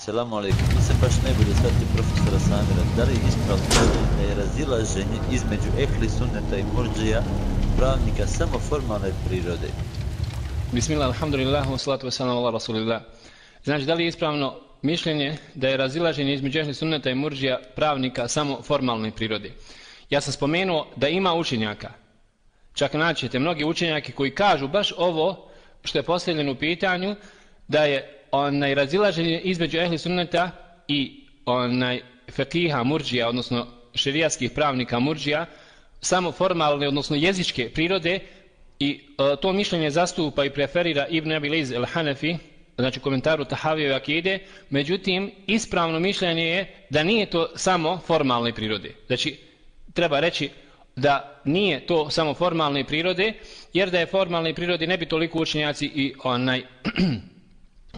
Selamu alaikum. Nisam baš najbolje shvatio profesora Samira. Da li je ispravno da je razilaženje između ehli sunneta i murdžija pravnika samo formalne prirode? Bismillah, alhamdulillah, wa salatu wa salam ala rasulillah. Znači, da li je ispravno mišljenje da je razilaženje između ehli sunneta i murdžija pravnika samo formalne prirode? Ja sam spomenuo da ima učenjaka. Čak naćete mnogi učenjaki koji kažu baš ovo što je postavljeno u pitanju, da je razilaženje između ehli sunneta i fekiha murdžija, odnosno šerijatskih pravnika murdžija, samo formalne, odnosno jezičke prirode, i to mišljenje zastupa i preferira Ibn Abi Lejz el-Hanefi, znači komentaru Tahavijeve akide. Međutim, ispravno mišljenje je da nije to samo formalne prirode. Znači, treba reći da nije to samo formalne prirode, jer da je formalne prirode ne bi toliko učenjaci i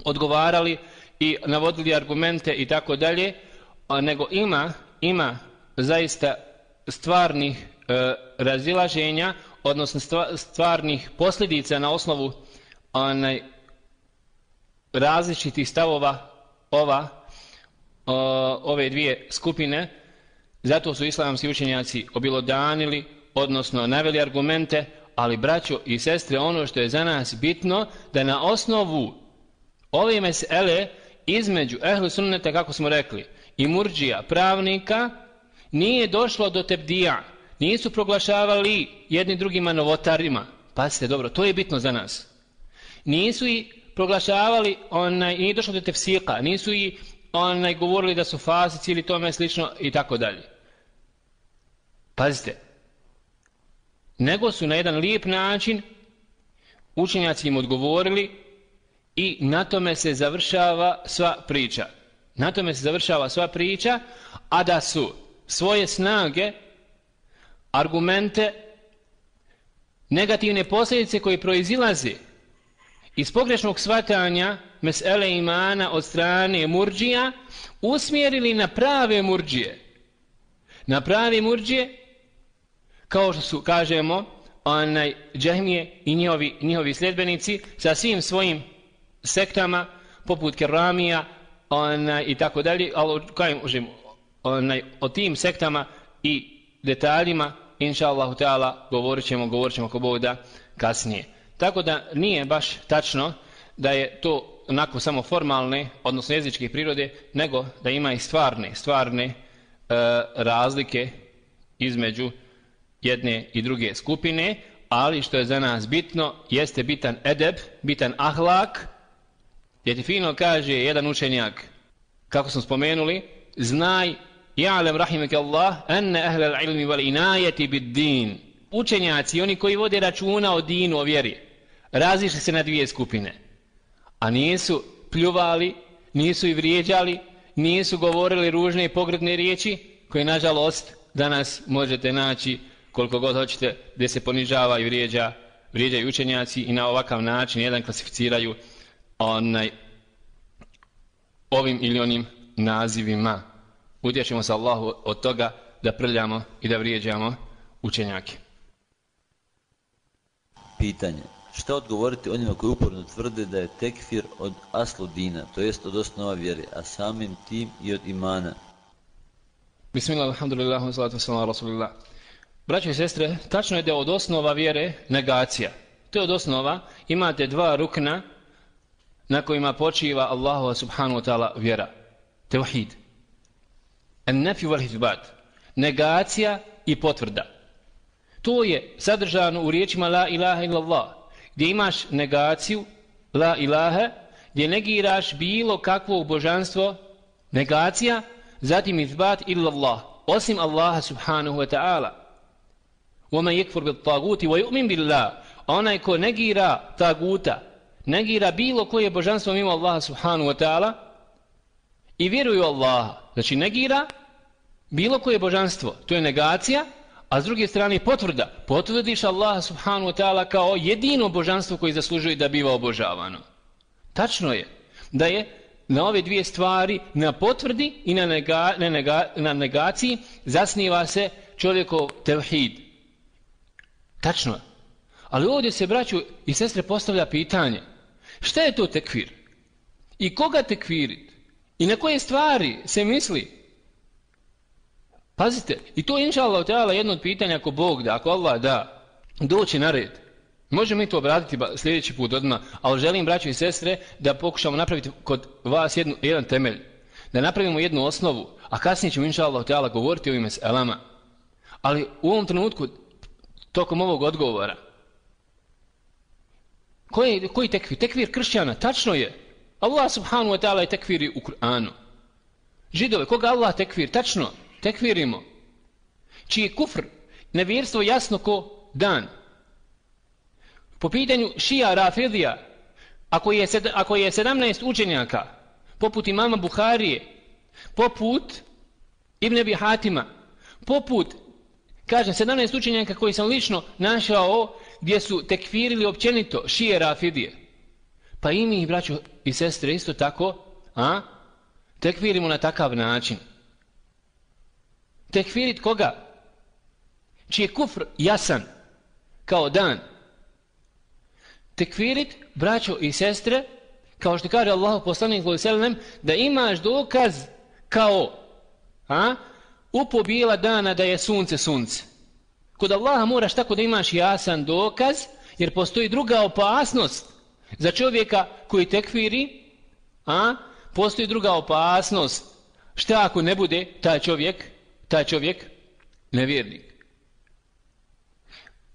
odgovarali i navodili argumente i tako dalje, nego ima zaista stvarnih razilaženja, odnosno stvarnih posljedica na osnovu različitih stavova ove dvije skupine. Zato su islamski učenjaci obilodanili, odnosno naveli argumente, ali braćo i sestre, ono što je za nas bitno, da na osnovu ove mesele između ehlu sunneta, kako smo rekli, i murdžija pravnika, nije došlo do tebdija, nisu proglašavali jedni drugima novotarima. Pazite dobro, to je bitno za nas. Nisu i proglašavali, nije došlo do tefsika, nisu i govorili da su fasici ili tome slično i tako dalje. Pazite, nego su na jedan lijep način učenjaci im odgovorili i na tome se završava sva priča. Na tome se završava sva priča, a da su svoje snage, argumente, negativne posljedice koje proizilaze iz pogrešnog shvatanja mesele imana od strane murdžija usmjerili na prave murdžije. Na prave murdžije, kao što su, kažemo, džahmije i njihovi sljedbenici sa svim svojim sektama, poput keramija i tako dalje, ali o tim sektama i detaljima, inša Allahu ta'ala, govorit ćemo ako Bog da kasnije. Tako da nije baš tačno da je to onako samo formalne, odnosno jezičke prirode, nego da ima i stvarne razlike između jedne i druge skupine, ali što je za nas bitno, jeste bitan edeb, bitan ahlak, gdje ti fino kaže jedan učenjak, kako smo spomenuli, znaj, ja'lem rahimeke Allah, enne ahlal ilmi wal inajeti bid din. Učenjaci, oni koji vode računa o dinu, o vjeri, razišli se na dvije skupine, a nisu pljuvali, nisu i vrijeđali, nisu govorili ružne i pogrdne riječi, koje nažalost danas možete naći koliko god hoćete, gdje se ponižava i vrijeđaju učenjaci i na ovakav način jedan klasificiraju ovim ili onim nazivima. Utječemo se Allahu od toga da prljamo i da vrijeđamo učenjake. Pitanje. Šta odgovoriti onima koji uporno tvrde da je tekfir od aslu dina, to jest od osnova vjere, a samim tim i od imana? Bismillah, alhamdulillah, wa salatu wa salam ala rasulillah. Braćo i sestre, tačno je da je od osnova vjere negacija. To je od osnova. Imate dva rukna na kojima počiva Allahu subhanahu wa ta'ala vjera. Tevhid. An-nafi wal ithbat. Negacija i potvrda. To je sadržano u riječima la ilaha illallah, gdje imaš negaciju la ilaha, gdje negiraš bilo kakvo božanstvo, negacija, zatim ithbat illallah, osim Allaha subhanahu wa ta'ala. وَمَنْ يَكْفُرْ بِالطَّاغُوتِ وَيُؤْمِنْ بِاللَّهِ. Onaj ko negira taguta, negira bilo koje božanstvo mimo Allaha subhanahu wa ta'ala i vjeruje u Allaha, znači negira bilo koje božanstvo, to je negacija, a s druge strane potvrda, potvrdiš Allaha subhanahu wa ta'ala kao jedino božanstvo koje zaslužuje da biva obožavano. Tačno je da je na ove dvije stvari, na potvrdi i na negaciji, zasniva se čovjekov tevhid. Tačno. Ali ovdje se, braću i sestre, postavlja pitanje. Šta je to tekfir? I koga tekfirit? I na koje stvari se misli? Pazite, i to je inša Allah ta'ala jedno od pitanja ako Bog da, ako Allah da, doći na red. Možemo mi to obratiti sljedeći put odmah, ali želim, braćo i sestre, da pokušamo napraviti kod vas jedan temelj. Da napravimo jednu osnovu, a kasnije ćemo inša Allah ta'ala govoriti o ovim meselama. Ali u ovom trenutku, tokom ovog odgovora, koji tekvir? Tekvir kršćana, tačno je. Allah subhanahu wa ta'ala je tekviri u Kur'anu. Židove, koga Allah tekvir? Tačno, tekvirimo. Čiji je kufr, nevjerstvo jasno ko dan. Po pitanju šija Rafidija, ako je 17 učenjaka, poput imama Buharije, poput Ibn Abi Hatima, poput, kažem, 17 učenjaka koji sam lično našao gdje su tekfirili općenito šije Rafidije. Pa i mi, braćo i sestre, isto tako, tekfirimo na takav način. Tekfirit koga? Čiji je kufr jasan, kao dan. Tekfirit, braćo i sestre, kao što kaže Allahu poslanik sallallahu alejhi ve sellem, da imaš dokaz kao u bijela dana da je sunce. Kod Allaha moraš tako da imaš jasan dokaz, jer postoji druga opasnost za čovjeka koji tekfiri, postoji druga opasnost. Šta ako ne bude taj čovjek nevjernik?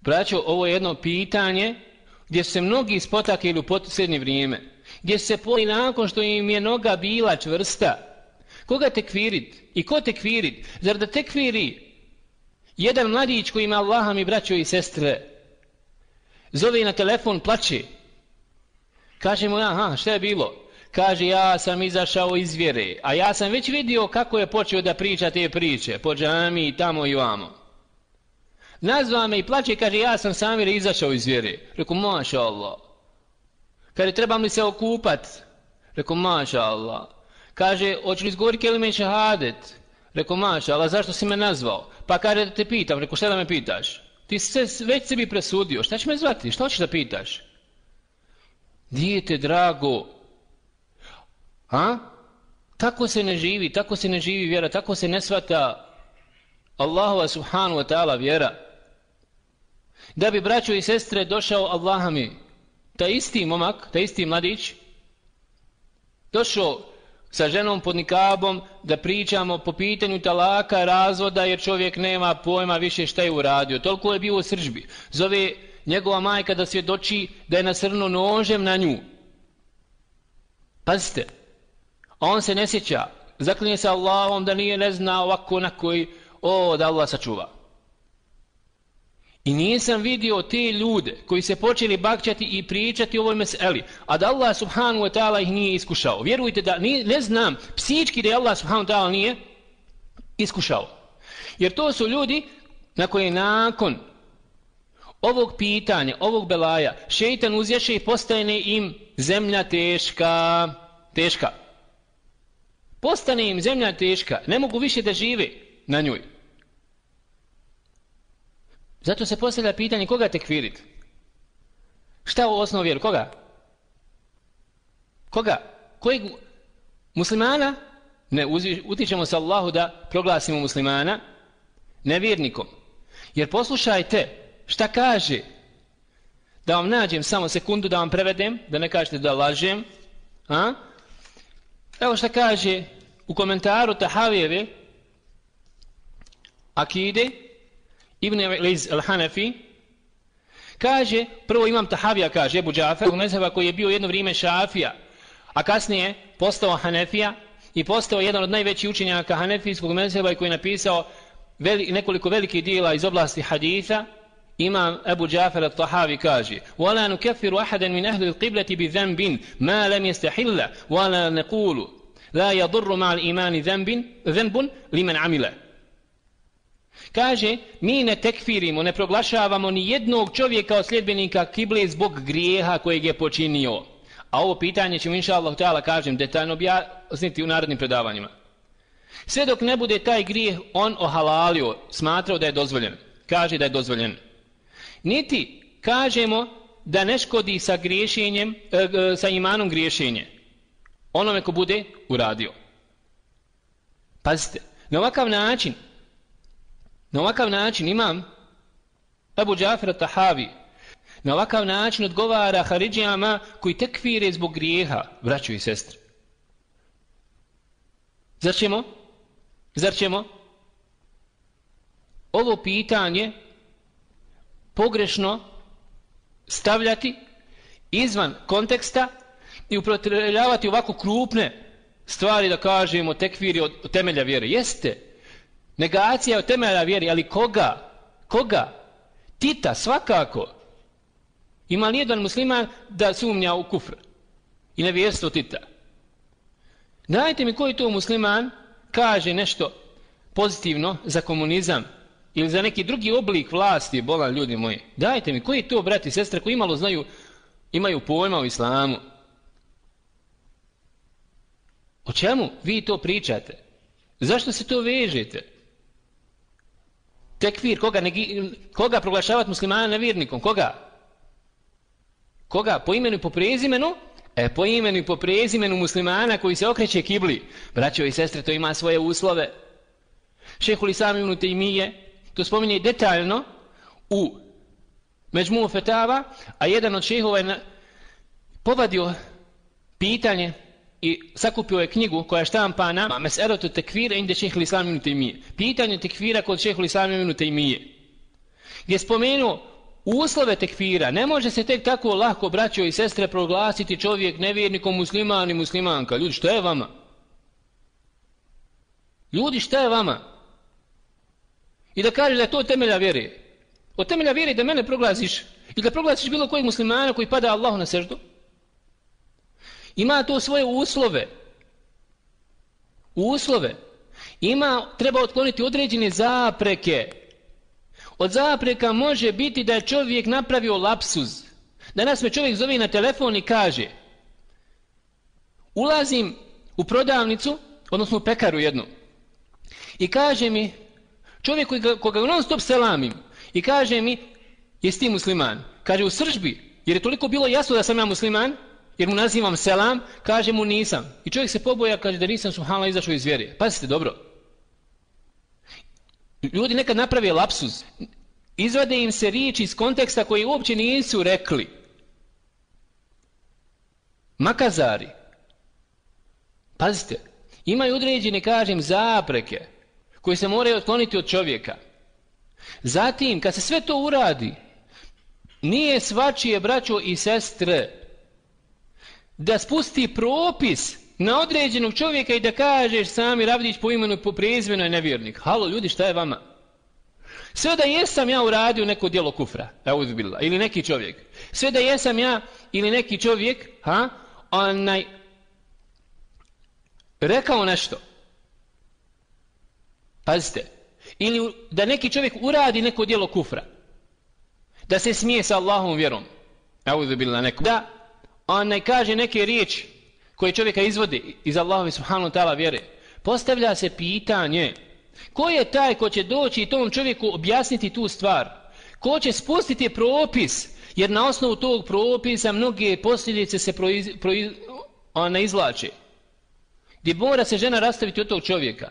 Braćo, ovo je jedno pitanje gdje su se mnogi spotakli u posljednje vrijeme, gdje se poli nakon što im je noga bila čvrsta. Koga tekfirit? I ko tekfirit? Zar da tekfiri jedan mladić koji ima Allaha mi, braćo i sestre, zove na telefon, plače. Kaže mu, šta je bilo? Kaže, ja sam izašao iz vjere, a ja sam već vidio kako je počeo da priča te priče, po džami, tamo i vamo. Nazva me i plače, kaže, ja sam sam izašao iz vjere. Reku, maša Allah. Kaže, trebam li se okupat? Reku, maša Allah. Kaže, hoću li izgovoriti kelime šehadet? Reku, maša Allah, zašto si me nazvao? Pa kaže, da te pitam. Reku, šta da me pitaš? Ti se već sebi presudio, šta će me zvati? Šta hoćeš da pitaš? Dijete drago, tako se ne živi vjera, tako se ne shvata Allahova subhanahu wa ta'ala vjera. Da bi, braćo i sestre, došao Allaha mi, taj isti momak, taj isti mladić, došao sa ženom pod nikabom da pričamo po pitanju talaka, razvoda, jer čovjek nema pojma više šta je uradio. Toliko je bio u srdžbi. Zove njegova majka da svjedoči da je nasrnuo nožem na nju. Pazite, a on se ne sjeća, zaklinje se Allahom da nije ne zna ovako na koji, da Allah sačuva. I nisam vidio te ljude koji se počeli bakćati i pričati o ovoj meseli, a da Allah subhanahu wa ta'ala ih nije iskušao. Vjerujte da ne znam psički da je Allah subhanahu wa ta'ala nije iskušao. Jer to su ljudi na koje nakon ovog pitanja, ovog belaja, šeitan uzješe i postane im zemlja teška. Postane im zemlja teška, ne mogu više da žive na njoj. Zato se postavlja pitanje koga tekfirit? Šta u osnovu vjeru? Koga? Kojeg muslimana? Ne, utičemo se Allahu da proglasimo muslimana nevjernikom. Jer poslušajte šta kaže, da vam nađem samo sekundu da vam prevedem, da ne kažete da lažem. Evo šta kaže u komentaru Tahavijeve akide Ibn Liz al-Hanafi. Kaže, prvo imam Tahavija, kaže Ebu Džafer, mezheba koji je bio jedno vrijeme Šafija, a kasnije postao Hanefija i postao jedan od najvećih učenjaka Hanefijskog mezheba i koji je napisao nekoliko velikih dijela iz oblasti haditha. Imam Ebu Džafer al-Tahavi kaže: "Wala nukaffiru ahadan min ahli al-qiblati bi dhanbin ma lam yastahilla, wala naqulu la yadurru ma'a al-imani dhanbun liman 'amila." Kaže, mi ne tekfirimo, ne proglašavamo ni jednog čovjeka od sljedbenika kible zbog grijeha kojeg je počinio. A ovo pitanje ćemo inšallah ta'ala, kažem, detaljno objasniti u narodnim predavanjima. Sve dok ne bude taj grijeh on ohalalio, smatrao da je dozvoljen. Kaže da je dozvoljen. Niti kažemo da ne škodi sa griješenjem, sa imanom griješenje onome ko bude uradio. Pazite, na ovakav način imam Abu Džafer Tahavi, na ovakav način odgovara Haridžijama koji tekfire zbog grijeha, braćo i sestre. Zar ćemo ovo pitanje pogrešno stavljati izvan konteksta i upotrebljavati ovako krupne stvari da kažemo tekfiri od temelja vjere? Jeste, negacija od temelja vjere, ali koga? Tita, svakako. Ima li jedan musliman da sumnja u kufr i nevjerstvo Tita? Dajte mi koji to musliman kaže nešto pozitivno za komunizam ili za neki drugi oblik vlasti, bolan ljudi moji. Dajte mi koji to brati i sestre koji imalo znaju, imaju pojma o islamu. O čemu vi to pričate? Zašto se to vežete? Tekfir, koga proglašavati muslimana nevjernikom? Koga? Po imenu i po prezimenu? Po imenu i po prezimenu muslimana koji se okreće kibli. Braćo i sestre, to ima svoje uslove. Šejhul Islam ibn Tejmije to spominje detaljno u Međmu fetava, a jedan od šejhova je povadio pitanje i sakupio je knjigu koja je štampana Mes'elatu tekfira inde Šejhul Islam ibn Tejmije. Pitanje tekfira kod Šejhul Islam ibn Tejmije. Gdje je spomenuo uslove tekfira. Ne može se tek tako lako, braćo i sestre, proglasiti čovjek nevjernikom, musliman i muslimanka. Ljudi, šta je vama? I da kažeš da je to temelja vjere. Od temelja vjere da mene proglasiš i da proglasiš bilo kojeg muslimana koji pada Allahu na seždu. Ima to svoje uslove. Treba otkloniti određene zapreke. Od zapreka može biti da je čovjek napravio lapsus. Danas me čovjek zove na telefon i kaže: ulazim u prodavnicu, odnosno u pekaru jednu, i kaže mi čovjek koga non stop selamim i kaže mi: jesi ti musliman? Kaže u sržbi, jer je toliko bilo jasno da sam ja musliman, jer mu nazivam selam, kaže mu nisam. I čovjek se poboja, kaže da nisam subhanallah izašao iz vjere. Pazite dobro. Ljudi nekad naprave lapsus. Izvade im se riječi iz konteksta koji uopće nisu rekli. Makazari. Pazite. Imaju određene, kažem, zapreke koje se moraju otkloniti od čovjeka. Zatim, kad se sve to uradi, nije svačije, braćo i sestre, da spusti propis na određenog čovjeka i da kažeš Samir Avdić po imenu i po prezimenu je nevjernik. Halo ljudi, šta je vama? Sve da jesam ja uradio neko djelo kufra, ili neki čovjek. Sve da jesam ja ili neki čovjek, rekao nešto. Pazite. Ili da neki čovjek uradi neko djelo kufra. Da se smije sa Allahovom vjerom. Da kaže neke riječi koje čovjeka izvodi iz Allahove subhanahu ta'ala vjere. Postavlja se pitanje: ko je taj ko će doći i tom čovjeku objasniti tu stvar? Ko će spustiti propis? Jer na osnovu tog propisa mnoge posljedice se izvlače. Gdje mora se žena rastaviti od tog čovjeka.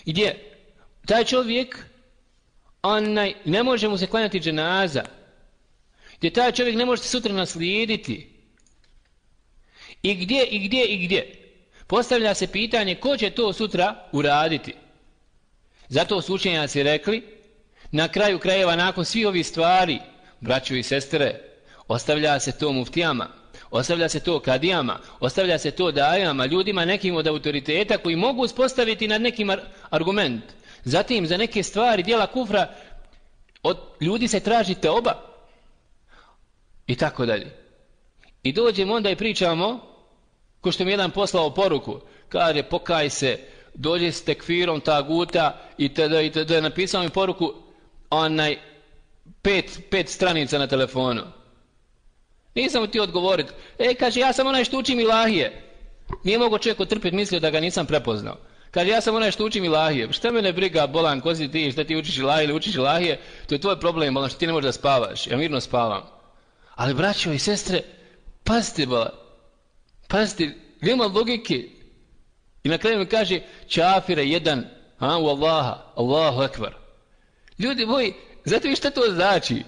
Gdje taj čovjek ne može mu se klanjati dženaza. Gdje taj čovjek ne može se sutra naslijediti. I gdje? Postavlja se pitanje ko će to sutra uraditi. Zato su učenjaci rekli, na kraju krajeva, nakon svih ovih stvari, braćo i sestre, ostavlja se to muftijama, ostavlja se to kadijama, ostavlja se to dajama, ljudima nekim od autoriteta koji mogu uspostaviti nad nekim argument. Zatim za neke stvari, djela kufra, od ljudi se traži teoba i tako dalje. I dođemo onda i pričamo, ko što mi jedan poslao poruku, kaže pokaj se, dođe s tekfirom taguta i tada napisao mi poruku 5 stranica na telefonu. Nisam mu ti odgovoriti. Kaže, ja sam onaj što učim ilahije. Nije mogo čovjek otrpiti, mislio da ga nisam prepoznao. Kaže, ja sam onaj što učim ilahije. Šta mene briga, bolan, ko si ti, šta ti učiš ilahije ili učiš ilahije, to je tvoj problem, bolan, što ti ne možeš da spavaš. Ja mirno spavam. Ali braćo i sestre, pazite, bolan. Pazite, nema logike. I na kraju mi kaže čafire jedan, u Allaha, Allahu ekber. Ljudi moji, znate vi šta to znači?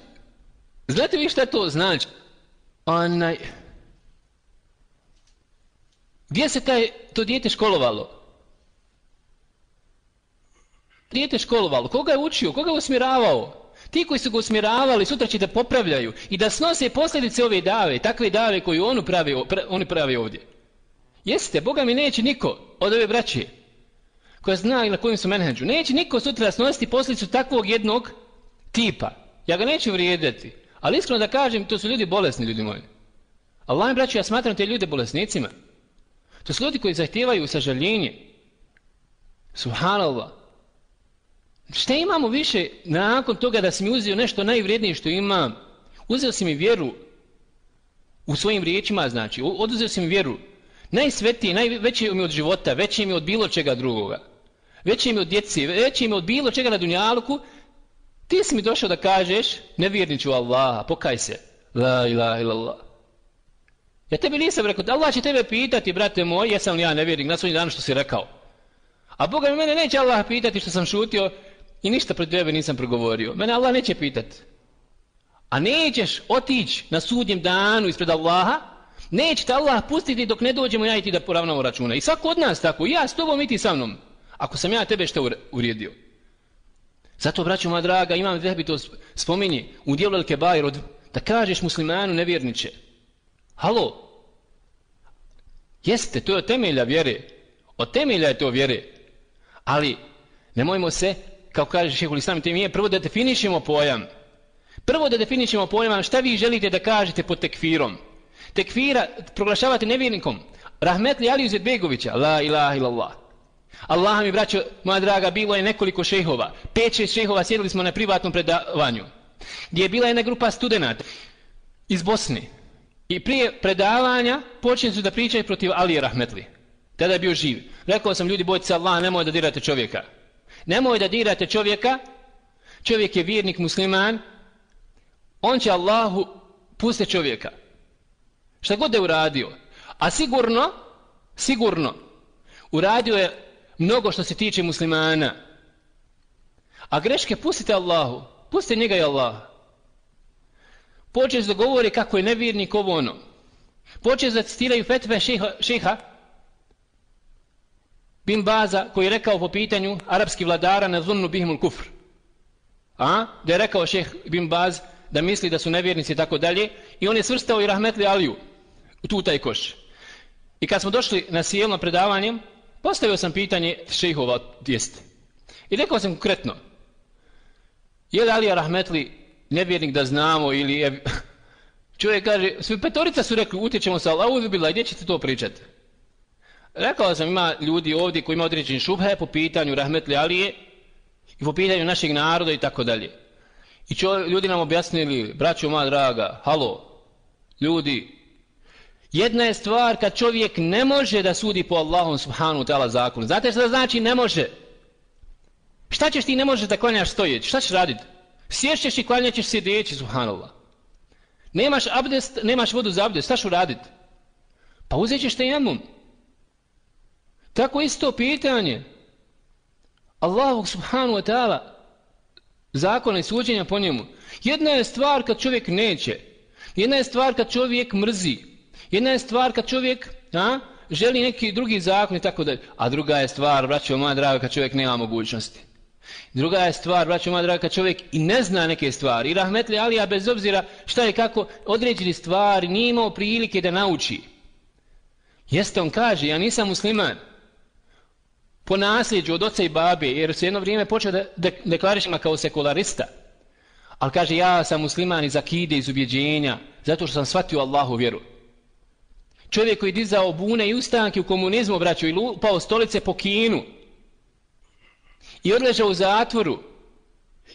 Znate vi šta to znači? Gdje se to dijete školovalo? Dijete školovalo, koga je učio, koga je usmjeravao? Ti koji su ga usmjeravali sutra će da popravljaju i da snose posljedice ove dave, takve dave koju oni pravi ovdje. Jeste, Boga mi neće niko od ove braće koja zna na kojim su menheđu, neće niko sutra snositi posljedicu takvog jednog tipa. Ja ga neću vrijediti, ali iskreno da kažem, to su ljudi bolesni, ljudi moji. Allah mi braću, ja smatram te ljude bolesnicima. To su ljudi koji zahtijevaju sažaljenje. Subhanallah. Šta imamo više nakon toga da si mi uzeo nešto najvrijednije što imam? Uzeo si mi vjeru u svojim riječima, znači, oduzeo si mi vjeru. Najsvetije, najveće mi od života, veće mi od bilo čega drugoga. Veće mi od djeci, veće mi od bilo čega na dunjaluku. Ti si mi došao da kažeš, nevjerniću Allaha, pokaj se. La ilaha illallah. Ja tebi nisam rekao, Allah će tebe pitati, brate moj, jesam li ja nevjernik na svoj dan što si rekao. A Boga mi mene neće Allah pitati što sam šutio i ništa pred tebe nisam progovorio. Mene Allah neće pitati. A nećeš otići na sudnjem danu ispred Allaha, neće te Allah pustiti dok ne dođemo ja i ti da poravnamo računa. I svako od nas tako, ja s tobom i ti sa mnom. Ako sam ja tebe što urijedio. Zato, braćo moja draga, imam Zehebi to spominje u dijelu El Kebair, da kažeš muslimanu nevjerniče. Halo? Jeste, to je od temelja vjere. Od temelja je to vjere. Ali, nemojmo se, kao kaže Šejhul Islam Temije, prvo da definišemo pojam. Prvo da definišemo pojam šta vi želite da kažete pod tekfirom. Tekfira proglašavate nevjernikom. Rahmetli Aliju Izetbegovića, la ilaha illallah. Allah mi, braćo, moja draga, bilo je nekoliko šejhova. 5-6 šejhova sjedili smo na privatnom predavanju. Gdje je bila jedna grupa studenata iz Bosne. I prije predavanja počeli su da pričaju protiv Alije Rahmetli. Tada je bio živ. Rekao sam, ljudi, bojte se Allah, nemoj da dirate čovjeka. Nemoj da dirate čovjeka. Čovjek je vjernik musliman. On će Allahu pustiti čovjeka. Šta god je uradio. A sigurno, uradio je mnogo što se tiče muslimana. A greške pustite Allahu. Pustite njega i Allah. Počeli da govori kako je nevjernik ovo ono. Počeli da citiraju fetve šeha Bin Baza koji je rekao po pitanju arapskih vladara na zunnu bihimul kufr. Da je rekao šeh Bin Baz da misli da su nevjernici i tako dalje. I on je svrstao i Rahmetli Aliju u tu taj koš. I kad smo došli na sjelno predavanje, postavio sam pitanje šejhova jeste. I rekao sam konkretno, je li Alija Rahmetli nevjernik da znamo ili je... Čovjek kaže, svi petorica su rekli, utječemo se Allahu bila, gdje ćete to pričati? Rekao sam, ima ljudi ovdje koji ima određeni šubhe po pitanju Rahmetli Alije i po pitanju našeg naroda i tako dalje. I ljudi nam objasnili, braćo moja draga, halo, ljudi, jedna je stvar kad čovjek ne može da sudi po Allahom subhanahu ta'ala zakonu. Znate što znači ne može? Šta ćeš ti ne možeš da klanjaš stojeći? Šta ćeš raditi? Sješćeš i klanjaćeš sjedeći, subhanallah. Nemaš abdest, nemaš vodu za abdest, šta ću raditi? Pa uzet ćeš tejemum. Tako isto pitanje. Allahu subhanahu wa ta'ala zakona i suđenja po njemu. Jedna je stvar kad čovjek neće. Jedna je stvar kad čovjek mrzi. Jedna je stvar kad čovjek želi neki drugi zakon i tako dalje. A druga je stvar, braćo moja draga, kad čovjek nema mogućnosti. Druga je stvar, braćo moja draga, kad čovjek i ne zna neke stvari. I Rahmetli Alija, bez obzira šta je kako određeni stvari, nije imao prilike da nauči. Jeste, on kaže, ja nisam musliman. Po nasljeđu od oca i babe, jer se jedno vrijeme počeo da deklarišima kao sekularista. Ali kaže, ja sam musliman iz akide, iz ubjeđenja, zato što sam shvatio Allahu vjeru. Čovjek koji dizao bune i ustanke u komunizmu, braćo, i lupao stolice po Kinu. I odležao u zatvoru.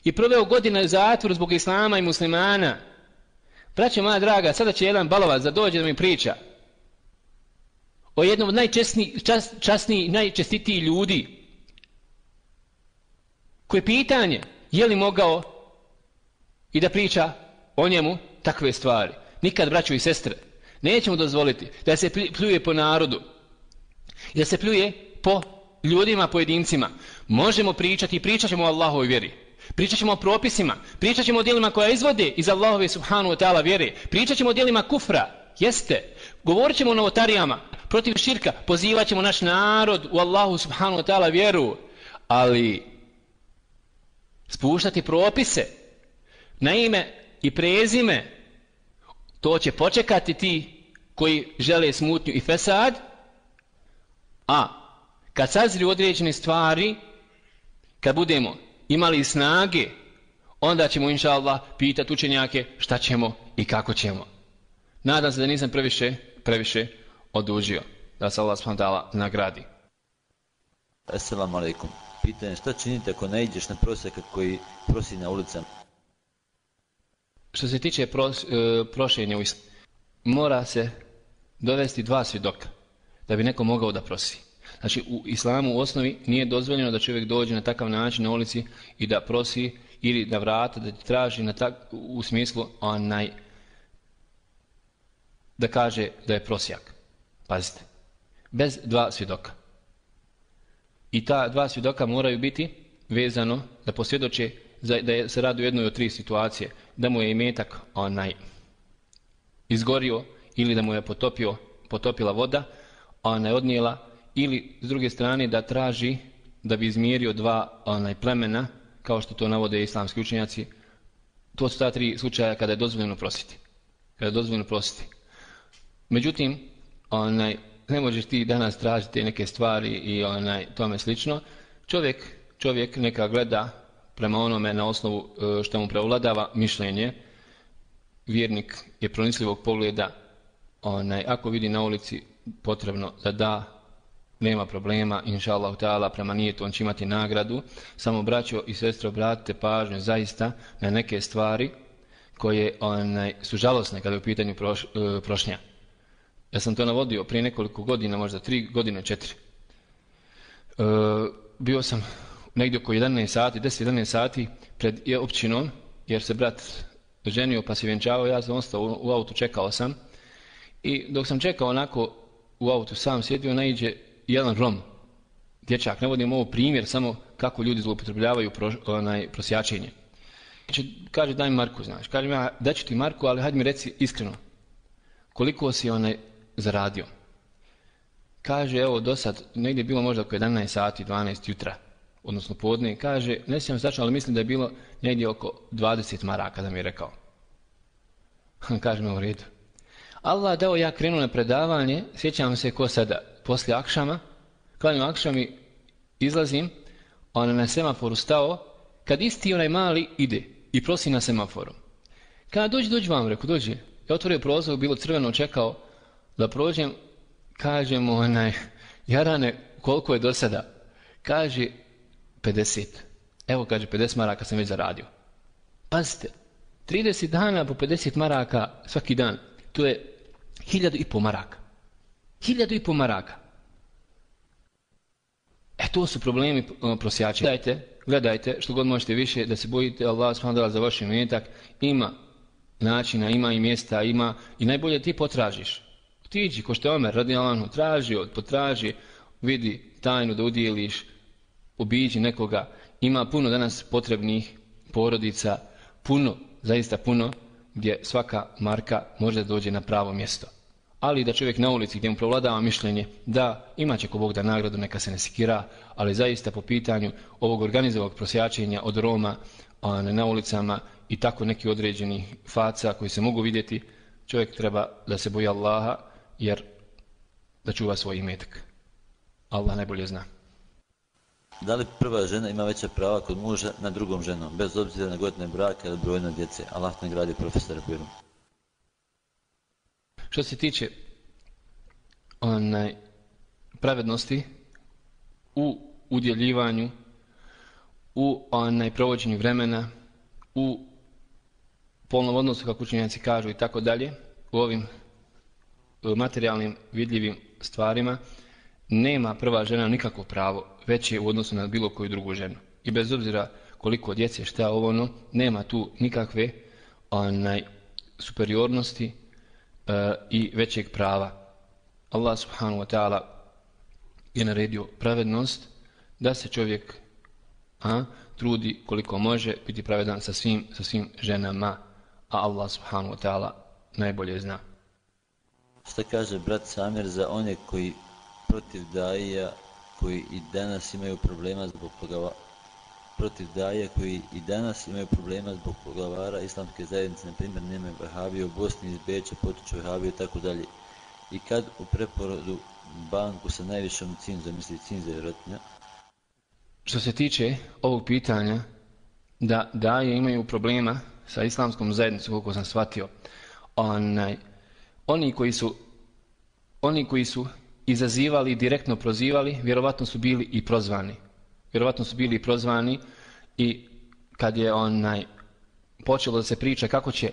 I proveo godine u zatvoru zbog islama i muslimana. Braćo moja draga, sada će jedan balovac da dođe da mi priča o jednom od najčasnijih, najčestitijih ljudi. Koje pitanje, je li mogao i da priča o njemu takve stvari? Nikad, braćo i sestre, nećemo dozvoliti da se pljuje po narodu. Da se pljuje po ljudima, pojedincima. Možemo pričati, pričat ćemo o Allahovoj vjeri. Pričat ćemo o propisima, pričat ćemo o djelima koja izvode iz Allahove subhanahu wa ta'ala vjere. Pričat ćemo o djelima kufra, jeste. Govorit ćemo o novotarijama, protiv širka, pozivat ćemo naš narod u Allahu subhanahu wa ta'ala vjeru. Ali spuštati propise na ime i prezime, to će počekati ti koji žele smutnju i fesad, a kad sazriju određene stvari, kad budemo imali snage, onda ćemo inša Allah pitati učenjake šta ćemo i kako ćemo. Nadam se da nisam previše odužio. Da se Allah subhanahu wa ta'ala nagradi. Assalamu alaikum. Pitanje, šta činite ako ne ideš na prosjaka koji prosi na ulicama? Što se tiče prošenja u islamu, mora se dovesti 2 svjedoka da bi neko mogao da prosi. Znači u islamu u osnovi nije dozvoljeno da čovjek dođe na takav način na ulici i da prosi ili da vrata, da ti traži u smislu da kaže da je prosjak. Pazite, bez 2 svjedoka. I ta 2 svjedoka moraju biti vezano da posvjedoče da se radi u jednoj od 3 situacije. Da mu je imetak izgorio ili da mu je potopila voda, ona je odnijela, ili s druge strane da traži da bi izmjerio 2 plemena, kao što to navode islamski učenjaci. To su ta 3 slučaja kada je dozvoljeno prositi. Međutim, ne možeš ti danas tražiti neke stvari i tome slično. Čovjek neka gleda prema onome na osnovu što mu prevladava mišljenje. Vjernik je pronicljivog pogleda, ako vidi na ulici potrebno da nema problema, inša Allah ta'ala, prema nijetu on će imati nagradu. Samo braćo i sestre, obratite pažnju zaista na neke stvari koje su žalosne kada je u pitanju prošnja. Ja sam to navodio prije nekoliko godina, možda 3 godine, 4. Bio sam negdje oko 10-11 sati pred općinom, jer se brat ženio pa se vjenčavao, ja sam ostao u autu, čekao sam. I dok sam čekao onako u autu sam sjedio, naiđe jedan Rom, dječak, ne vodim ovo primjer, samo kako ljudi zloupotrebljavaju prosjačenje. Kaže, daj mi marku, znaš. Kaže, ja daću ti marku, ali hajde mi reci iskreno, koliko si zaradio. Kaže, evo, do sad, negdje je bilo možda oko 11 sati, 12 jutra, odnosno podne. Kaže, ne sjećam se tačno, ali mislim da je bilo negdje oko 20 maraka, da mi je rekao. Kaže me u redu. Allah dao, ja krenuo na predavanje, sjećam se ko sada, poslije akšama, klanjam akšam i izlazim, na semaforu stao, kad isti onaj mali ide i prosi na semaforu. Kada dođi vam, reku, dođi. Ja otvorio prozor, bilo crveno, čekao da prođem, kaže mu Jarane, koliko je do sada? Kaže, 50. Evo, kaže, 50 maraka sam već zaradio. Pazite, 30 dana po 50 maraka svaki dan, to je 1.500 maraka. 1.500 maraka. To su problemi prosjačenja. Gledajte, što god možete više, da se bojite Allah subhanahu wa ta'ala za vaš imetak. Ima načina, ima i mjesta, ima i najbolje ti potražiš. Ti iđi, ko što je Omer radijallahu anhu, potraži, vidi tajnu da udjeliš, obiđi nekoga. Ima puno danas potrebnih porodica, puno, zaista puno, gdje svaka marka može da dođe na pravo mjesto. Ali da čovjek na ulici gdje mu provladava mišljenje, da imat će ko Bog da nagradu, neka se ne sikira, ali zaista po pitanju ovog organizovanog prosjačenja od Roma na ulicama i tako neki određeni faca koji se mogu vidjeti, čovjek treba da se boji Allaha, jer da čuva svoj imetak. Allah najbolje zna. Da li prva žena ima veća prava kod muža na drugom ženom, bez obzira na godine braka ili brojne djece? Allah nagradi profesora Biru. Što se tiče pravednosti u udjeljivanju, u provođenju vremena, u polnom odnosu, kako učenjaci kažu i tako dalje, u ovim materijalnim vidljivim stvarima, nema prva žena nikakvo pravo veće u odnosu na bilo koju drugu ženu. I bez obzira koliko djece, šta ovo, nema tu nikakve superiornosti i većeg prava. Allah subhanahu wa ta'ala je naredio pravednost, da se čovjek trudi koliko može biti pravedan sa svim ženama, a Allah subhanahu wa ta'ala najbolje zna. Šta kaže brat Samir za one koji protiv daija koji i danas imaju problema zbog poglavara islamske zajednice, na primjer nemaju Vahabije u Bosni, iz Beča potiču Vahabije i tako dalje. I kad u preporodu banku sa najvišom cinzom, misli cinza vjerojatno. Što se tiče ovog pitanja, da daje imaju problema sa islamskom zajednicom, koliko sam shvatio, oni koji su izazivali i direktno prozivali, vjerovatno su bili i prozvani. I kad je počelo da se priča kako će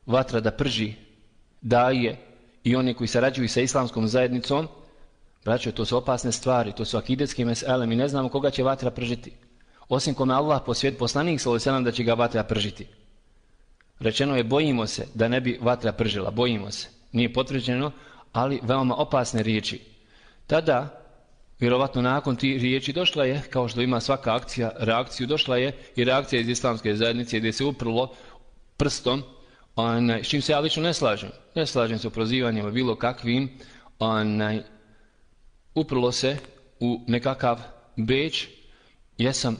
vatra da prži daje i oni koji sarađuju sa islamskom zajednicom, braćo, to su opasne stvari, to su akidetske mesele, mi ne znamo koga će vatra pržiti. Osim kome Allah poslanik sallallahu alejhi ve sellem da će ga vatra pržiti. Rečeno je bojimo se da ne bi vatra pržila, bojimo se. Nije potvrđeno, ali veoma opasne riječi. Tada, vjerovatno nakon tih riječi došla je, kao što ima svaka akcija, reakciju, došla je i reakcija iz islamske zajednice gdje se uprlo prstom, s čim se ja lično ne slažem. Ne slažem se u prozivanjima bilo kakvim, uprlo se u nekakav Beč. Jesam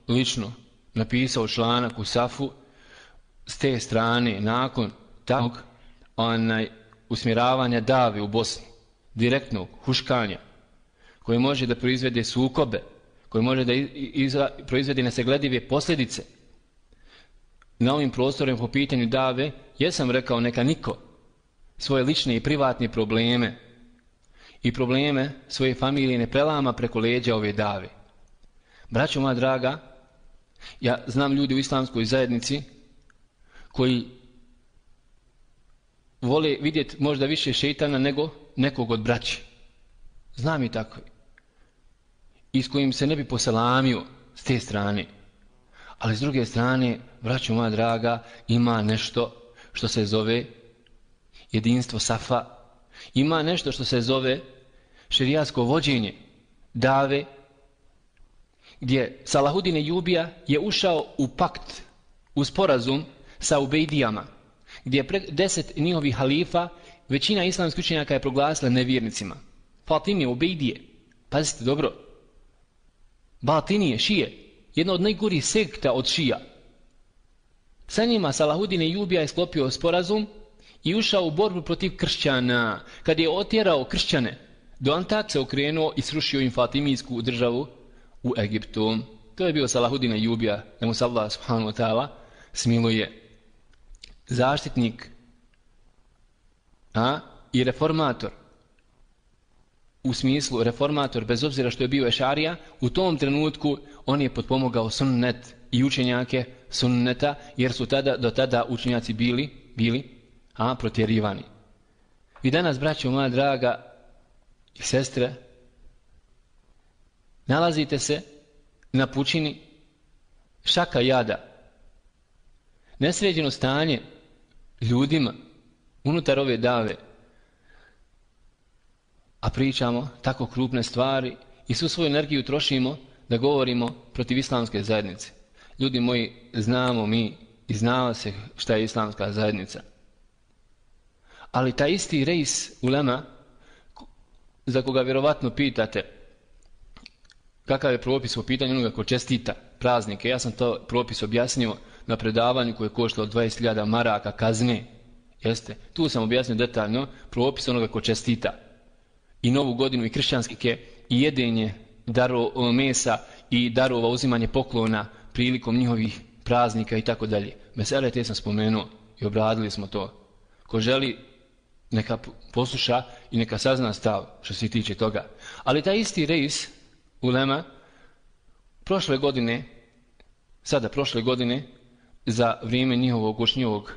lično napisao članak u Safu s te strane nakon takvog usmjeravanja dave u Bosni, direktnog huškanja, koji može da proizvede sukobe, koji može da proizvede nesagledive posljedice na ovim prostorima po pitanju dave. Jesam rekao neka niko svoje lične i privatne probleme i probleme svoje familije ne prelama preko leđa ove dave. Braćo moja draga, ja znam ljudi u islamskoj zajednici koji vole vidjeti možda više šejtana nego nekog od braći. Znam i tako. I s kojim se ne bi poselamio s te strane. Ali s druge strane, braćo moja draga, ima nešto što se zove jedinstvo Safa. Ima nešto što se zove šerijatsko vođenje dave, gdje Salahudin Ejubija je ušao u pakt, u sporazum sa Ubejdijama, gdje je 10 njihovih halifa većina islamskih učenjaka je proglasila nevjernicima. Fatimije, Ubejdije, pazite dobro, Batinije, Šije, jedna od najgorih sekta od Šija. Sa njima Salahudin Ejubija je sklopio sporazum i ušao u borbu protiv kršćana. Kad je otjerao kršćane, do Antaksa okrenuo i srušio im Fatimijsku državu u Egiptu. To je bio Salahudin Ejubija, da mu se Allah subhanahu wa ta'ala smiluje. Zaštitnik i reformator. U smislu reformator, bez obzira što je bio ešarija, u tom trenutku on je potpomogao sunnet i učenjake sunneta, jer su do tada učenjaci bili protjerivani. I danas, braćo moja draga i sestre, nalazite se na pučini šaka jada, nesređeno stanje ljudima unutar ove dave, a pričamo tako krupne stvari i svu svoju energiju trošimo da govorimo protiv islamske zajednice. Ljudi moji, znamo mi i znao se šta je islamska zajednica. Ali taj isti reis ulema, za koga vjerovatno pitate kakav je propis po pitanju onoga ko čestita praznike, ja sam to propis objasnio na predavanju koje je koštalo 20.000 maraka kazne. Jeste, tu sam objasnio detaljno propis onoga ko čestita i Novu godinu i kršćanske i jedenje mesa i darova, uzimanje poklona prilikom njihovih praznika i tako dalje. Mesele te sam spomenuo i obradili smo to. Ko želi neka posluša i neka sazna stav što se tiče toga. Ali taj isti reis ulema prošle godine za vrijeme njihovog ušnjivog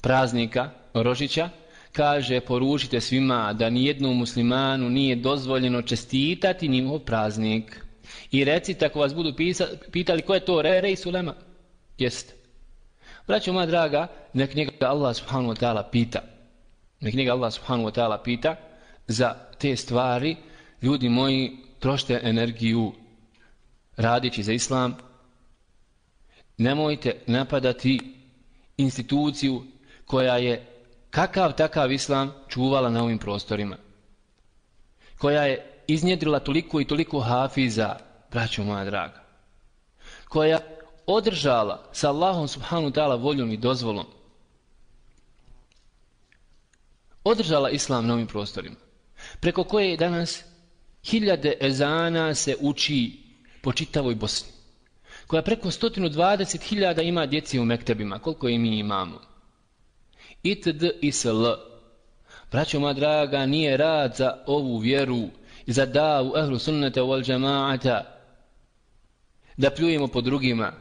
praznika Rožića, kaže, poručite svima da nijednom muslimanu nije dozvoljeno čestitati njihov praznik. I recite, ako vas budu pitali ko je to reis ulema, jeste. Braćo moja draga, nek njega Allah subhanahu wa ta'ala pita. Nek njega Allah subhanahu wa ta'ala pita za te stvari, ljudi moji, trošite energiju radići za islam. Nemojte napadati instituciju koja je kakav takav islam čuvala na ovim prostorima, koja je iznjedrila toliko i toliko hafiza, braćo moja draga, koja održala sa Allahom subhanahu wa ta'ala voljom i dozvolom, održala islam na ovim prostorima, preko koje danas hiljade ezana se uči po čitavoj Bosni, koja preko 120.000 ima djeci u mektebima, koliko i mi imamo. Itd. Isl. Braćo moja draga, nije rad za ovu vjeru i za davu ehlu sunnata wal džamaata da pljujemo po drugima.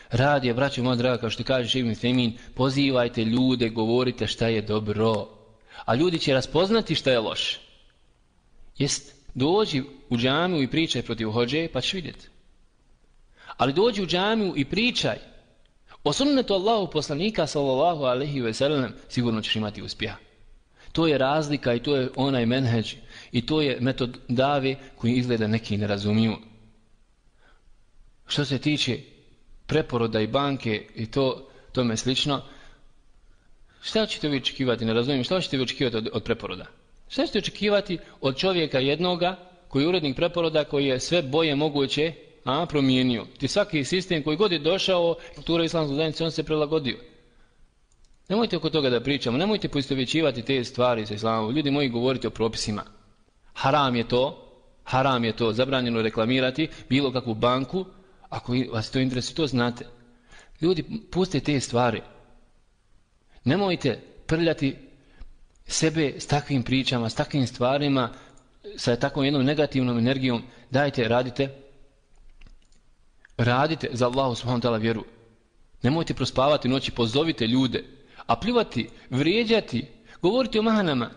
Rad je, braćo moja draga, kao što kaže Ibn Fejmin, pozivajte ljude, govorite šta je dobro, a ljudi će raspoznati šta je loše. Jest, dođi u džamiju i pričaj protiv hodže, pa ćeš vidjeti. Ali dođi u džamiju i pričaj o sunnetu Allahu poslanika sallallahu alejhi ve sellem, sigurno ćeš imati uspjeha. To je razlika i to je onaj menheđ i to je metod dave koji izgleda neki ne razumiju. Što se tiče preporoda i banke i tome slično, šta ćete vi očekivati, ne razumijem, šta ćete vi očekivati od preporoda? Šta ćete očekivati od čovjeka jednoga koji je urednik preporoda, koji je sve boje moguće promijenio? Ti svaki sistem koji god je došao, kultura islamske zajednice, on se prilagodio. Nemojte oko toga da pričamo, nemojte poistovjećivati te stvari sa islamom. Ljudi moji, govorite o propisima. Haram je to, zabranjeno reklamirati bilo kakvu banku, ako vas to interesuje, to znate. Ljudi, pustite te stvari. Nemojte prljati sebe s takvim pričama, s takvim stvarima, sa takvom jednom negativnom energijom. Dajte, radite za Allahu subhanahu wa ta'ala vjeru. Nemojte prospavati noći, pozovite ljude, a pljuvati, vrijeđati, govoriti o mahanama.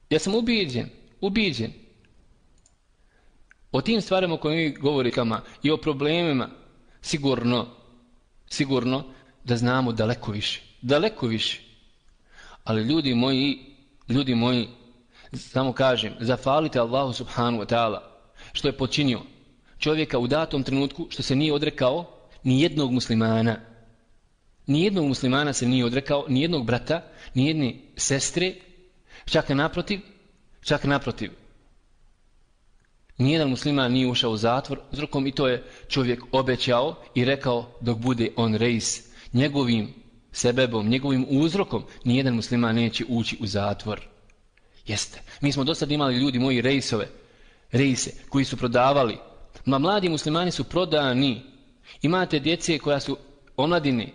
Ja sam ubijeđen. O tim stvarima koje mi govorimo i o problemima, sigurno da znamo daleko više. Ali ljudi moji, samo kažem, zafalite Allahu subhanahu wa ta'ala što je počinio čovjeka u datom trenutku, što se nije odrekao ni jednog muslimana. Ni jednog muslimana se nije odrekao, ni jednog brata, ni jedne sestre, čak naprotiv. Nijedan musliman nije ušao u zatvor uzrokom, i to je čovjek obećao i rekao dok bude on reis, njegovim sebebom, njegovim uzrokom, nijedan musliman neće ući u zatvor. Jeste. Mi smo do sad imali, ljudi moji, reise koji su prodavali. Mladi muslimani su prodani. Imate djece koja su omladine,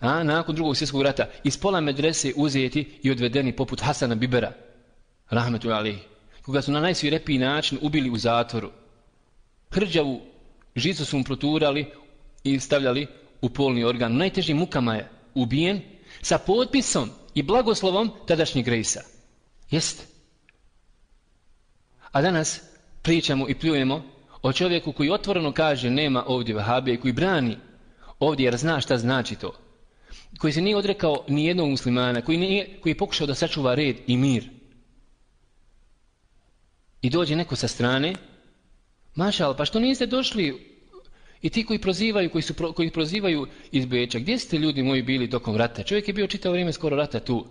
nakon Drugog svjetskog rata, iz pola medrese uzeti i odvedeni poput Hasana Bibera, rahmetullahi alejhi, koga su na najsvirepiji način ubili u zatvoru. Hrđavu žicu su mu proturali i stavljali u polni organ. U najtežim mukama je ubijen sa potpisom i blagoslovom tadašnjeg reisa. Jeste. A danas pričamo i pljujemo o čovjeku koji otvoreno kaže nema ovdje vahabije, koji brani ovdje jer zna šta znači to. Koji se nije odrekao ni jednog muslimana, koji je pokušao da sačuva red i mir. I dođe neko sa strane, mašal, pa što niste došli? I ti koji prozivaju iz Beča, gdje ste, ljudi moji, bili tokom rata? Čovjek je bio čitavo vrijeme skoro rata tu.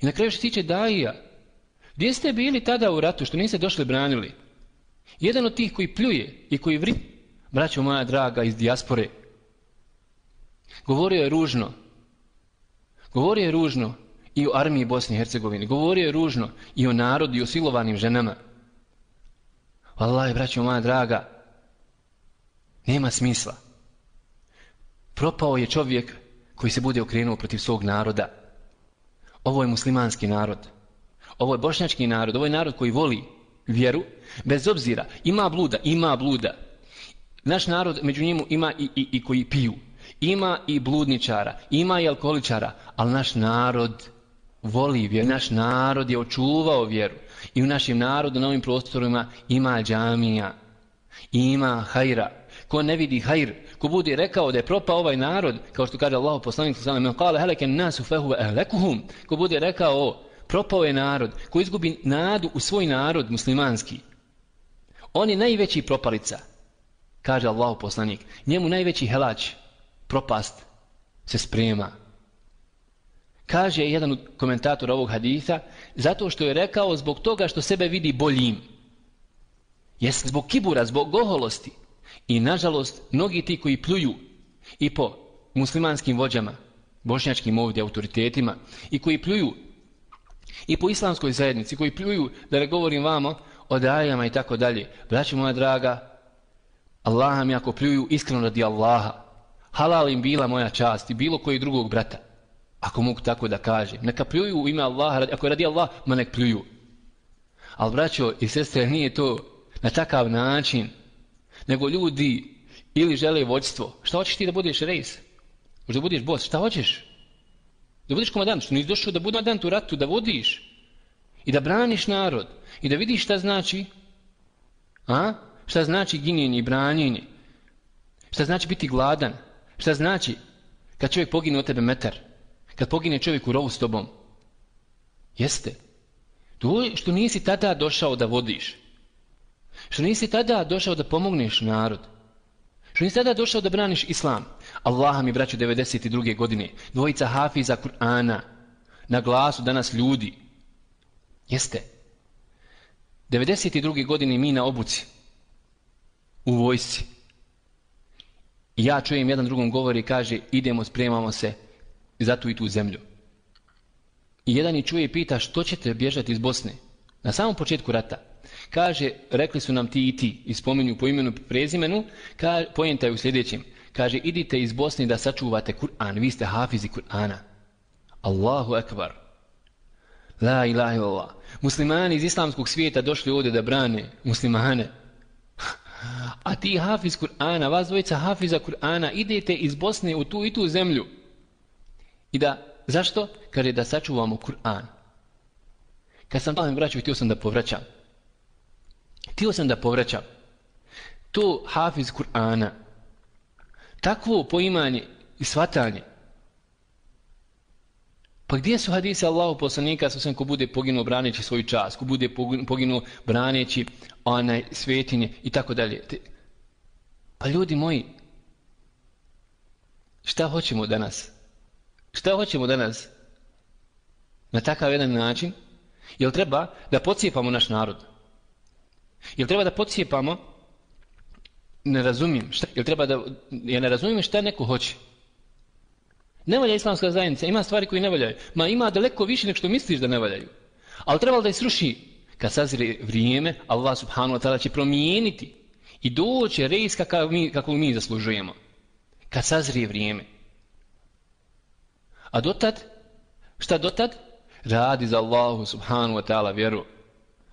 I na kraju što tiče daija, gdje ste bili tada u ratu, što niste došli branili? Jedan od tih koji pljuje i koji braćo moja draga iz dijaspore, govorio je ružno i o armiji Bosne i Hercegovine, govorio je ružno i o narodu i o silovanim ženama. Wallahi, braćo moja draga, nema smisla. Propao je čovjek koji se bude okrenuo protiv svog naroda. Ovo je muslimanski narod. Ovo je bošnjački narod. Ovo je narod koji voli vjeru, bez obzira. Ima bluda. Naš narod, među njemu ima i koji piju. Ima i bludničara, ima i alkoholičara, ali naš narod voli vjeru. Naš narod je očuvao vjeru. I u našem narodu, na ovim prostorima, ima džamija, ima hajra. Ko ne vidi hajr, ko bude rekao da je propao ovaj narod, kao što kaže Allahu poslanik sallallahu alejhi ve sellem, "Qala halaka an-nasu fa huwa ahlakuhum", ko bude rekao propao je narod, ko izgubi nadu u svoj narod muslimanski, on je najveći propalica, kaže Allahu poslanik. Njemu najveći helać, propast, se sprema. Kaže jedan od komentatora ovog haditha, zato što je rekao zbog toga što sebe vidi boljim. Jest zbog kibura, zbog oholosti. I nažalost, mnogi ti koji pljuju i po muslimanskim vođama, bošnjačkim ovdje autoritetima, i koji pljuju i po islamskoj zajednici, koji pljuju, da ne govorim vamo, o dajama i tako dalje. Braćo moja draga, Allaha mi ako pljuju iskreno radi Allaha, halal im bila moja čast i bilo koji drugog brata, ako mogu tako da kažem. Neka pljuju u ime Allaha, ako je radi Allah, ma nek pljuju. Ali braćo i sestre, nije to na takav način, nego ljudi ili žele vođstvo. Šta hoćeš ti da budeš rejs? Možda budeš bos, šta hoćeš? Da budeš komandant, što nisi došao da budeš komandant u ratu, da vodiš i da braniš narod i da vidiš šta znači, šta znači ginjenje i branjenje, šta znači biti gladan, šta znači kad čovjek pogine od tebe metar, kad pogine čovjek u rovu s tobom. Jeste. To je što nisi tada došao da vodiš, što nisi tada došao da pomogneš narod, što nisi tada došao da braniš islam. Allaha mi braću 92. godine, dvojica hafiza Kur'ana, na glasu danas ljudi. Jeste. 92. godine mi na obuci, u vojsci. I ja čujem jedan drugom govori i kaže idemo, spremamo se za tu i tu zemlju. I jedan i čuje i pita što ćete bježati iz Bosne? Na samom početku rata. Kaže, rekli su nam ti i ti, i spominju po imenu prezimenu, pojenta je u sljedećem. Kaže, idite iz Bosne da sačuvate Kur'an, vi ste hafizi Kur'ana. Allahu ekbar. La ilaha illallah. Muslimani iz islamskog svijeta došli ovdje da brane muslimane. A ti hafiz Kur'ana, vas dvojica hafiza Kur'ana, idete iz Bosne u tu i tu zemlju. I da, zašto? Kaže da sačuvamo Kur'an. Kad sam tamo vraćao, htio sam da povraćam. To hafiz Kur'ana, takvo poimanje i shvatanje. Pa gdje su hadise Allahu poslanika sa ko bude poginuo braneći svoju čast, ko bude poginuo braneći svetinje i tako dalje. Pa ljudi moji, šta hoćemo danas? Šta hoćemo danas? Na takav jedan način? Jel treba da pocijepamo naš narod? Jel treba da pocijepamo? Ne razumijem. Ja ne razumijem šta neko hoće. Ne valja islamska zajednica, ima stvari koje ne valjaju. Ma ima daleko više nego što misliš da ne valjaju. Ali trebalo da je sruši. Kad sazre vrijeme, Allah subhanahu wa ta'ala će promijeniti i doće rejs kako mi zaslužujemo. Kad sazrije vrijeme. A dotad? Šta dotad? Radi za Allahu subhanahu wa ta'ala vjeru.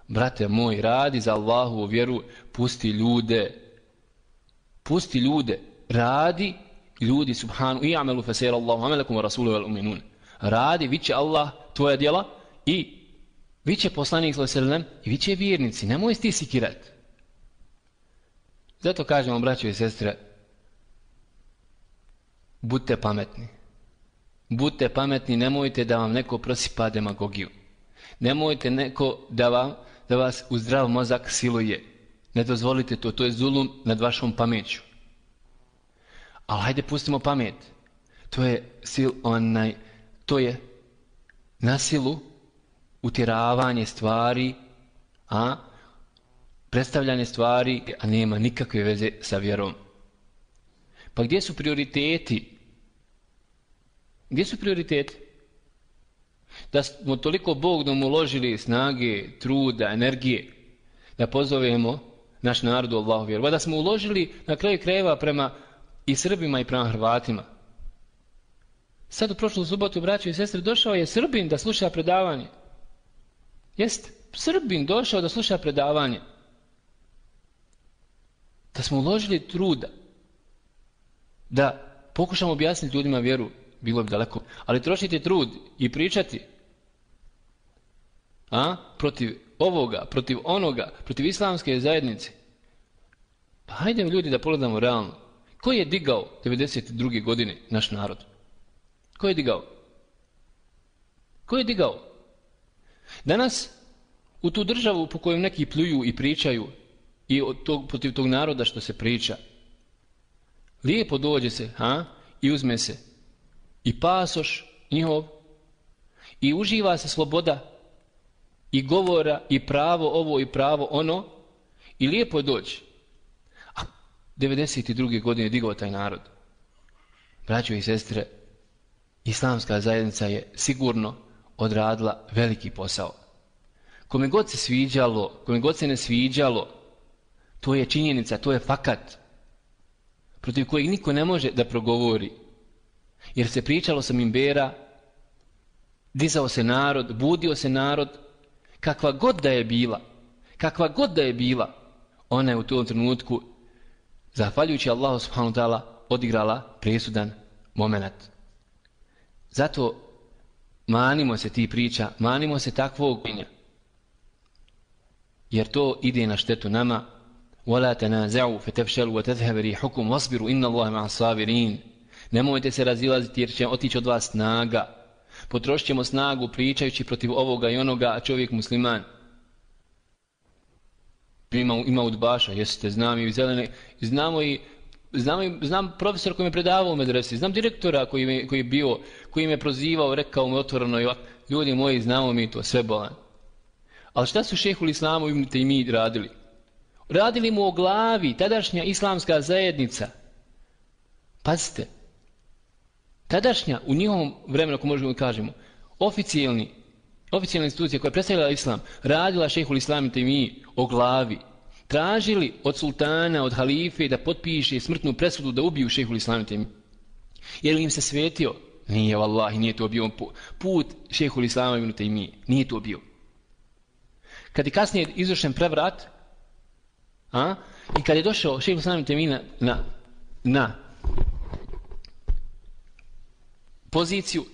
Brate moj, radi za Allahovu vjeru, pusti ljude, radi ljudi subhanahu i amelu fasera Allahu amelakum wa rasuluhu wal uminun. Radi, viće Allah tvoja djela i viće poslanik sallallahu alejhi ve sellem i viće vjernici, nemoj ti sikirat. Zato kažemo, braćo i sestre, budite pametni, nemojte da vam neko prosipa demagogiju. Nemojte neko da vas u zdrav mozak siluje. Ne dozvolite to je zulum nad vašom pameću. Ali hajde pustimo pamet. To je na silu utjeravanje stvari, predstavljanje stvari, a nema nikakve veze sa vjerom. Pa gdje su prioriteti? Da smo toliko Bogom uložili snage, truda, energije, da pozovemo naš narod u Allahu vjeru. Da smo uložili na kraju krajeva prema i Srbima i prema Hrvatima. Sad u prošlu subotu, braćo i sestre, došao je Srbin da sluša predavanje. Jeste, Srbin došao da sluša predavanje. Da smo uložili truda da pokušamo objasniti ljudima vjeru, bilo bi daleko. Ali trošite trud i pričati protiv ovoga, protiv onoga, protiv islamske zajednice. Pa hajde ljudi da pogledamo realno. Ko je digao 92. godine naš narod? Ko je digao? Danas u tu državu po kojoj neki pljuju i pričaju i protiv tog naroda što se priča, lijepo dođe se i uzme se i pasoš njihov i uživa se sloboda i govora i pravo ovo i pravo ono i lijepo je doći. A 92. godine digao taj narod. Braćo i sestre, islamska zajednica je sigurno odradila veliki posao. Kome god se sviđalo, kome god se ne sviđalo, to je činjenica, to je fakat, protiv kojeg niko ne može da progovori. Jer se pričalo sa minbera, dizao se narod, budio se narod, kakva god da je bila, ona je u tom trenutku, zahvaljujući Allahu subhanahu wa ta'ala, odigrala presudan moment. Zato manimo se ti priča, manimo se takvog pinja, jer to ide na štetu nama. وَلَا تَنَازَعُوا فَتَفْشَلُوا وَتَذْهَبَ رِيحُكُمْ وَاصْبِرُوا إِنَّ اللَّهَ مَعَ الصَّابِرِينَ. Nemojte se razilaziti jer će otići od vas snaga. Potrošit ćemo snagu pričajući protiv ovoga i onoga, a čovjek musliman. Ima udbaša, jeste, znam i zelene, znam profesor koji me predavao u medresi, znam direktora koji me prozivao, rekao mu otvoreno, ljudi moji, znamo mi to, sve bolan. Ali šta su šejhul islamu ibn Tejmije radili? Radili mu o glavi, tadašnja islamska zajednica. Pazite, tadašnja, u njihovom vremenu, ako možemo kažemo, oficijalna institucija koja je predstavljala islam, radila šejhul islam ibn Tejmije o glavi. Tražili od sultana, od halife da potpiše smrtnu presudu da ubiju šejhul islam ibn Tejmije. Je li im se svetio? Nije, vallahi, nije to bio put šejhul islama ibn Tejmije. Nije to bio. Kad je kasnije izvršen prevrat, i kad je došao šejhul islam ibn Tejmije na poziciju,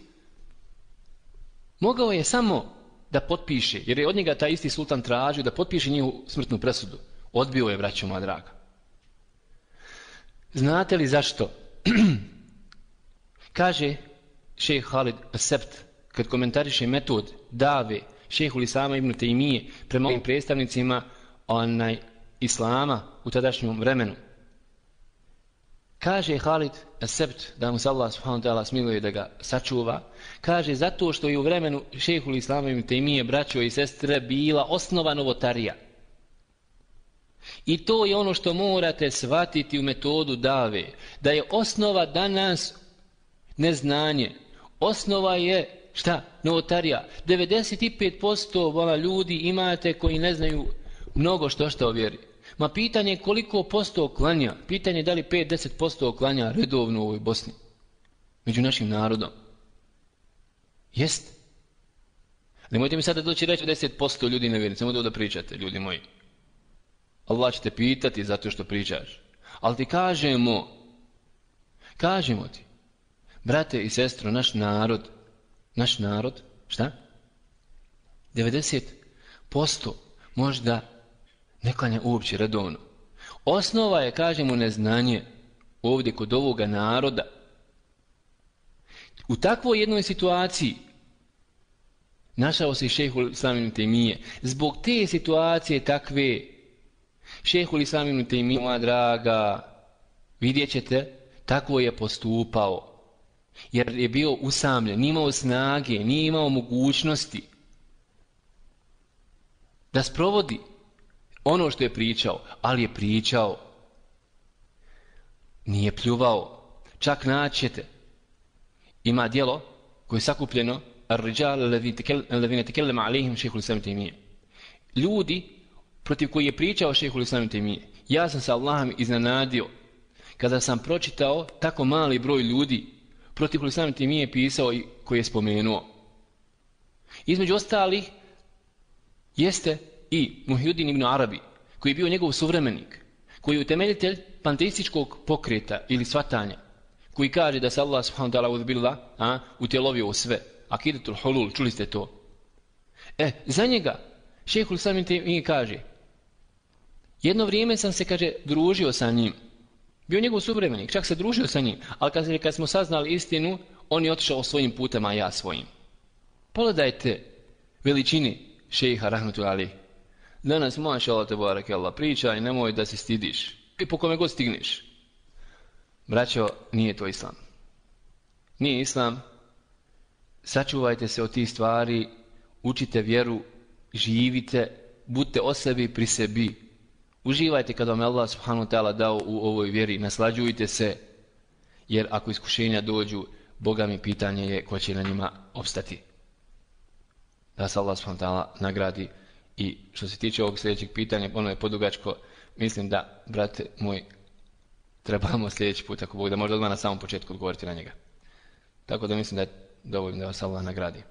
mogao je samo da potpiše, jer je od njega taj isti sultan tražio da potpiše njihovu smrtnu presudu. Odbio je, braćo moja draga. Znate li zašto? Kaže šejh Halid as-Sebt, kad komentariše metod dave šejhul islama ibn Tejmije prema ovim predstavnicima islama u tadašnjem vremenu. Kaže Halid as-Sebt, da mu se Allah subhanahu wa ta'ala smiluje da ga sačuva, kaže zato što je u vremenu šejhul islama ibn Tejmije, braćo i sestre, bila osnova novotarija. I to je ono što morate shvatiti u metodu dave, da je osnova danas neznanje. Osnova je, šta? Novotarija. 95% ljudi imate koji ne znaju mnogo što o vjeri. Ma pitanje je koliko posto klanja, pitanje je da li 5-10% klanja redovno u ovoj Bosni, među našim narodom. Jest. Nemojte mi sada doći reći 10% ljudi nevjernici, samo da pričate, ljudi moji. Allah će te pitati zato što pričaš. Ali ti kažemo ti, brate i sestro, naš narod, šta? 90% možda ne klanja uopće redovno. Osnova je, kažemo, neznanje ovdje kod ovoga naroda. U takvoj jednoj situaciji našao se i šejhul islam ibn Tejmije. Zbog te situacije takve, šejhul islam ibn Tejmije, moja draga, vidjet ćete, tako je postupao. Jer je bio usamljen, nije imao snage, nije imao mogućnosti da sprovodi ono što je pričao, ali je pričao. Nije pljuvao. Čak naćete. Ima djelo koje je sakupljeno Ar-Rijal alladhina takallama alayhim šejhul islam ibn Tejmije. Ljudi protiv koji je pričao šejhul islam ibn Tejmije. Ja sam se Allahom iznenadio kada sam pročitao tako mali broj ljudi protiv šejhul islam ibn Tejmije pisao i koji je spomenuo. Između ostalih jeste i Muhyiddin ibn Arabi, koji je bio njegov suvremenik, koji je utemeljitelj panteističkog pokreta ili svatanja, koji kaže da se Allah subhanahu wa ta'ala uzbillah utjelovio u sve. Akidatul hulul, čuli ste to? Za njega šejhul islam ibn Tejmije kaže, jedno vrijeme sam se, kaže, družio sa njim. Bio njegov suvremenik, čak se družio sa njim, ali kad smo saznali istinu, on je otišao svojim putem, a ja svojim. Pogledajte veličini šejha rahmetullahi alejhi. Danas mašallah tebareke Allah pričaj, nemoj da se stidiš. I po kome god stigneš. Braćo, nije to islam. Nije islam. Sačuvajte se od tih stvari, učite vjeru, živite, budite o sebi pri sebi. Uživajte kad vam je Allah subhanahu wa ta'ala dao u ovoj vjeri, naslađujte se, jer ako iskušenja dođu, Boga mi pitanje je ko će na njima opstati. Da se Allah subhanahu wa ta'ala nagradi. I što se tiče ovog sljedećeg pitanja, ono je podugačko, mislim da, brate moj, trebamo sljedeći put, ako Bog da možda odmah na samom početku odgovoriti na njega. Tako da mislim da je dovoljno da vas Allah nagradi.